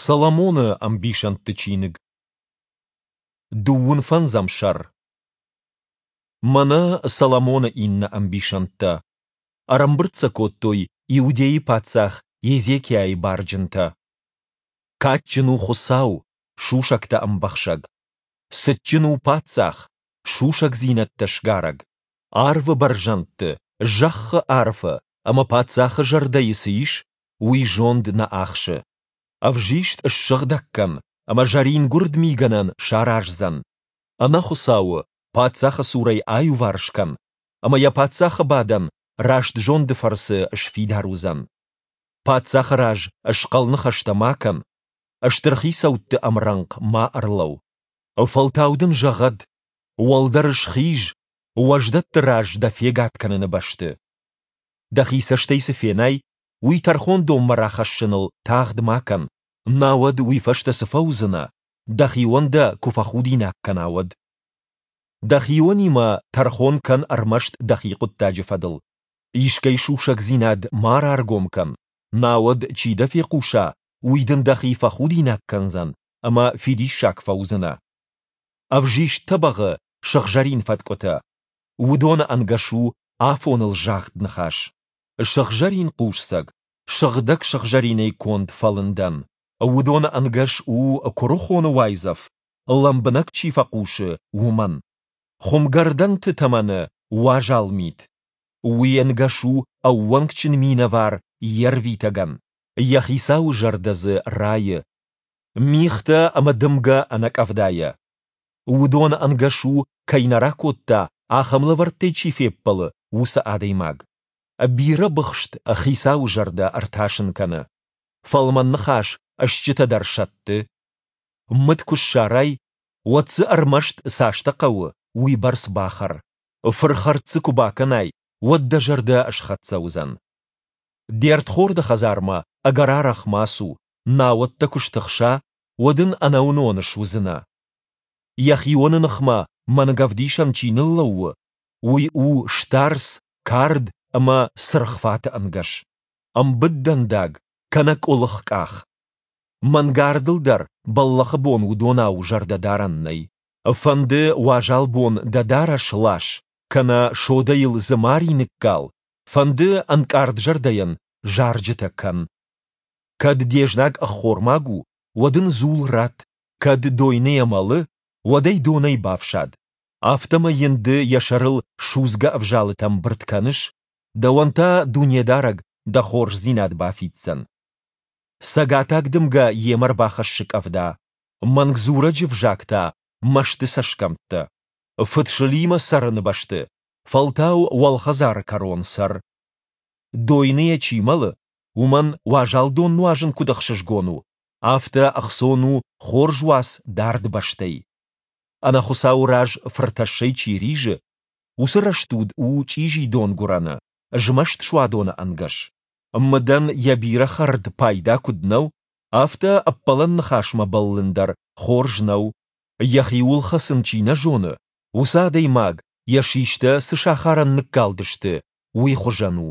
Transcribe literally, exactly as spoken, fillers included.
Соломоны ӕмбисӕндты чиныг. Дыууын фӕндзӕм сӕр. Мӕнӕ Соломоны иннӕ ӕмбисӕндтӕ. Ӕрӕмбырд сӕ кодтой Иудейы паддзах Езекиайы барджынтӕ. Кадджын у Хуыцау, сусӕгтӕ ӕмбӕхсӕг. Цытджын у паддзах, сусӕгдзинӕдтӕ сгарӕг. Арвы бӕрзӕндты, зӕххы арфы ӕмӕ паддзахы зӕрдӕйы цы ис, уый зонд нӕ ахсы. Ӕвзист ссыгъдӕг кӕн, ӕмӕ зӕрингуырд мигӕнӕн сараздзӕн. Ӕнӕхуыцауы паддзахы цурӕй аиуварс кӕн, ӕмӕ йӕ паддзахы бадӕн раст зонды фӕрцы сфидар уыдзӕн. Паддзахы раз схъӕл ныхӕстӕ ма кӕн, стыр хицӕутты ӕмрӕнхъ ма ӕрлӕуу. Фӕлтау дын зӕгъӕд: уӕлдӕр схиз, уӕздӕтты раз дӕ фегад кӕныны бӕсты. Дӕхи цӕстӕй цы фенай, уый тӕрхондонмӕ рахӕссыныл тагъд ма кӕн, науӕд уый фӕстӕ цы фӕуыдзынӕ, дӕхион дӕ куы фӕхудинаг кӕна, уӕд? Дӕхионимӕ тӕрхон кӕн ӕрмӕст дӕхи хъуыддаджы фӕдыл. Искӕй сусӕгдзинад ма раргом кӕн, науӕд, чи дӕ фехъуса, уый дын дӕхи фӕхудинаг кӕндзӕн ӕмӕ фидиссаг фӕуыдзынӕ. Ӕвзист тӕбӕгъы сыгъзӕрин фӕткъуытӕ. Уыдоны ӕнгӕс у афоныл загъд ныхас. Сыгъзӕрин хъусцӕг, сыгъдӕг сыгъзӕринӕй конд фӕлындӕн. Уыдоны ӕнгӕс у куырыхоны уайдзӕф, лӕмбынӕг чи фӕхъусы, уымӕн. Хуымгӕрдӕнты тӕмӕны уазал мит. Уый ӕнгӕс у ӕууӕнкджын минӕвар йе рвитӕгӕн, йӕ хицауы зӕрдӕ дзы райы. Мигътӕ ӕмӕ дымгӕ ӕнӕкъӕвдайӕ. Уыдоны ӕнгӕс у, кӕй нӕ ракодта, ахӕм лӕвӕрттӕй чи феппӕлы, уыцы адӕймаг. Бирӕ быхст хицауы зӕрдӕ ӕртасын кӕны. Фӕлмӕн ныхас стджытӕ дӕр сӕтты. Мыд куы ссарай, уӕд дзы ӕрмӕст цастӕ хъӕуы, уыйбӕрц бахӕр. Фырхӕрд дзы куы бакӕнай, уӕд дӕ зӕрдӕ схӕццӕ уыдзӕн. Де рдхорды хӕдзармӕ ӕгӕр арӕх ма цу, науӕд дӕ куы стыхса, уӕд ын ӕнӕуынон суыдзынӕ. Йӕхионы ныхмӕ мӕнгӕвдисӕн чи ныллӕууы, уый у старц, кард ӕмӕ цыргъ фаты ӕнгӕс. Ӕмбыд дӕндаг кӕнӕ къуылых къах. Мӕнгардыл дӕр бӕллӕхы бон уыдонау зӕрдӕ дарӕн нӕй. Фӕнды уазал бон дӕ дарӕс лас, кӕнӕ содӕйыл дзымари ныккал, фӕнды ӕнкъард зӕрдӕйӕн зарджытӕ кӕн. Кӕд де знаг ӕххормаг у, уӕд ын дзул ратт, кӕд дойныйӕ мӕлы, уӕд ӕй донӕй бафсад. Афтӕмӕй йын ды йӕ сӕрыл судзгӕ ӕвзалытӕ мбырд кӕныс, дӕуӕн та Дунедарӕг дӕ хорздзинад бафиддзӕн. Цӕгатаг дымгӕ йемӕ рбахӕссы къӕвда, мӕнгдзурӕджы взаг та мӕсты цӕсгӕмттӕ. Фыдсылимӕ цӕрыны бӕсты, фӕлтау уӕлхӕдзары кӕрон цӕр. Дойныйӕ чи мӕлы, уымӕн уазал дон нуазын куыд ӕхсызгон у, афтӕ ӕхцон у хорз уац дард бӕстӕй. Ӕнӕхуыцауы раз фыртӕссӕй чи ризы, уыцы рӕстуд у чъизи донгуырӕны, змӕст суадоны ӕнгӕс. Мыдӕн йӕ бирӕ хӕрд пайда куыд нӕу, афтӕ ӕппӕлӕн ныхасмӕ бӕллын дӕр хорз нӕу. Йӕхиуыл хӕцын чи нӕ зоны, уыцы адӕймаг, йӕ систӕ цы сахарӕн ныккалдысты, уый хуызӕн у.